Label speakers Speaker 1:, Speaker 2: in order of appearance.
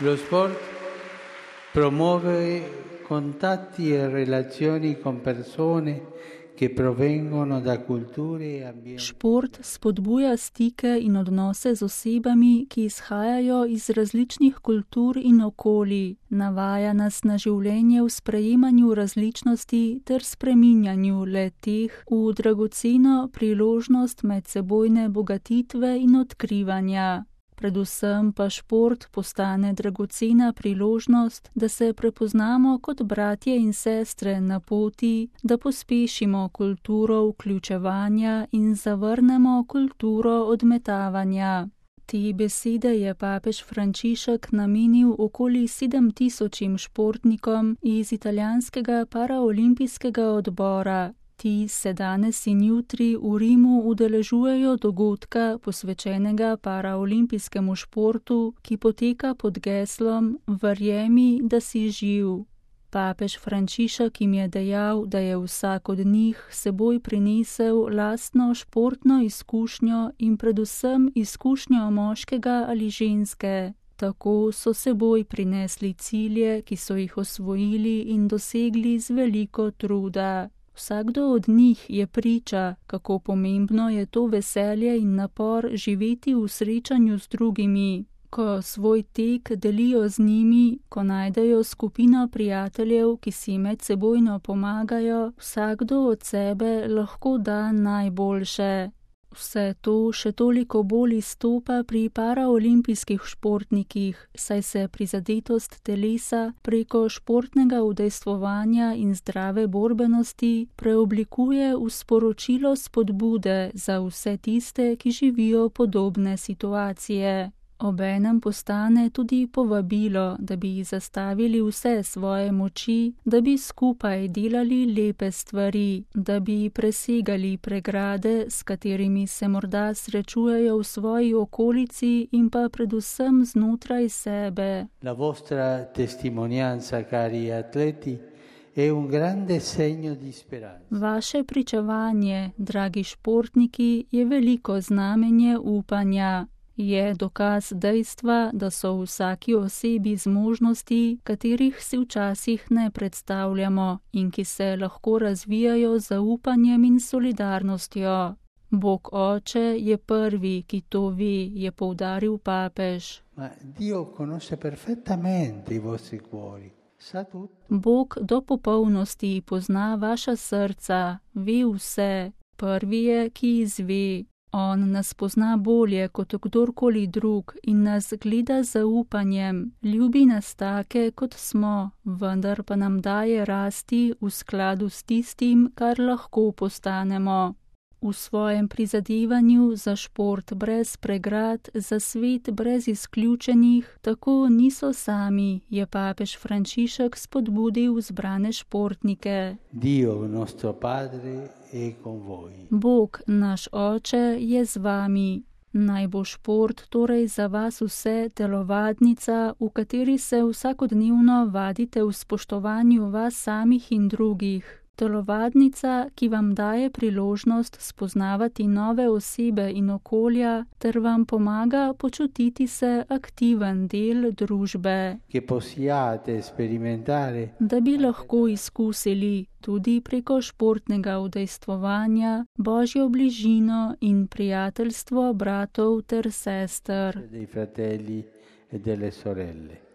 Speaker 1: Lo sport promuove contatti e relazioni con persone che provengono da culture e ambienti.
Speaker 2: Šport spodbuja stike in odnose z osebami, ki izhajajo iz različnih kultur in okolij, navaja nas na življenje v sprejemanju različnosti ter spreminjanju le-teh v dragoceno priložnost medsebojne bogatitve in odkrivanja. Predvsem pa šport postane dragocena priložnost, da se prepoznamo kot bratje in sestre na poti, da pospešimo kulturo vključevanja in zavrnemo kulturo odmetavanja. Te besede je papež Frančišek namenil okoli 7000 športnikom iz italijanskega paraolimpijskega odbora. Ti se danes in jutri v Rimu udeležujejo dogodka, posvečenega paraolimpijskemu športu, ki poteka pod geslom Verjemi, da si živ. Papež Frančišek jim je dejal, da je vsak od njih seboj prinesel lastno športno izkušnjo in predvsem izkušnjo moškega ali ženske. Tako so seboj prinesli cilje, ki so jih osvojili in dosegli z veliko truda. Vsakdo od njih je priča, kako pomembno je to veselje in napor živeti v srečanju z drugimi. Ko svoj tek delijo z njimi, ko najdejo skupino prijateljev, ki si medsebojno pomagajo, vsakdo od sebe lahko da najboljše. Vse to še toliko bolj izstopa pri paraolimpijskih športnikih, saj se prizadetost telesa preko športnega udejstvovanja in zdrave borbenosti preoblikuje v sporočilo spodbude za vse tiste, ki živijo podobne situacije. Obenem postane tudi povabilo, da bi zastavili vse svoje moči, da bi skupaj delali lepe stvari, da bi presegali pregrade, s katerimi se morda srečujejo v svoji okolici in pa predvsem znotraj sebe.
Speaker 1: La vostra testimonianza, cari atleti, è un grande segno di speranza.
Speaker 2: Vaše pričevanje, dragi športniki, je veliko znamenje upanja. Je dokaz dejstva, da so v vsaki osebi zmožnosti, katerih si včasih ne predstavljamo in ki se lahko razvijajo z zaupanjem in solidarnostjo. Bog Oče je prvi, ki to ve, je poudaril papež.
Speaker 1: Ma Dio conosce perfettamente i vostri cuori. Sa tutto.
Speaker 2: Bog do popolnosti pozna vaša srca, ve vse. Prvi je, ki izve. On nas pozna bolje kot kdorkoli drug in nas gleda z zaupanjem, ljubi nas take, kot smo, vendar pa nam daje rasti v skladu s tistim, kar lahko postanemo. V svojem prizadevanju za šport brez pregrad, za svet brez izključenih, tako niso sami, je papež Frančišek spodbudil zbrane športnike.
Speaker 1: Dio, nostro Padre, è con voi.
Speaker 2: Bog, naš Oče, je z vami. Naj bo šport torej za vas vse telovadnica, v kateri se vsakodnevno vadite v spoštovanju vas samih in drugih. Telovadnica, ki vam daje priložnost spoznavati nove osebe in okolja, ter vam pomaga počutiti se aktiven del družbe.
Speaker 1: Che possiate sperimentare.
Speaker 2: Da bi lahko izkusili tudi preko športnega udejstvovanja Božjo bližino in prijateljstvo bratov ter sester.
Speaker 1: Dei fratelli e delle sorelle.